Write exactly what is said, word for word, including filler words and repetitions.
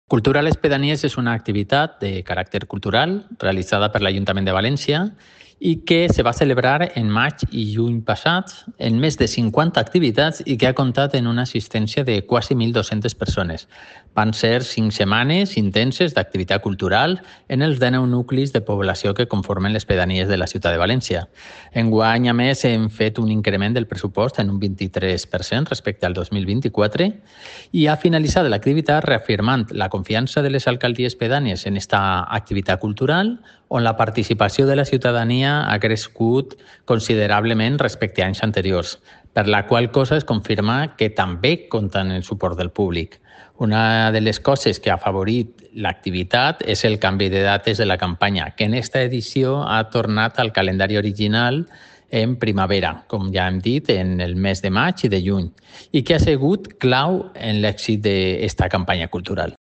Cultura a les Pedanies és una activitat de caràcter cultural realitzada per l'Ajuntament de València i que se va celebrar en maig i juny passats en més de cinquanta activitats i que ha comptat en una assistència de quasi mil dos-centes persones. Van ser cinc setmanes intenses d'activitat cultural en els dinou nuclis de població que conformen les pedanies de la ciutat de València. Enguany, a més, hem fet un increment del pressupost en un vint-i-tres per cent respecte al dos mil vint-i-quatre i ha finalitzat l'activitat reafirmant la confiança de les alcaldies pedànies en aquesta activitat cultural, on la participació de la ciutadania ha crescut considerablement respecte a anys anteriors, per la qual cosa es confirma que també compten el suport del públic. Una de les coses que ha favorit l'activitat és el canvi de dates de la campanya, que en aquesta edició ha tornat al calendari original en primavera, com ja hem dit, en el mes de maig i de juny, i que ha sigut clau en l'èxit d'aquesta campanya cultural.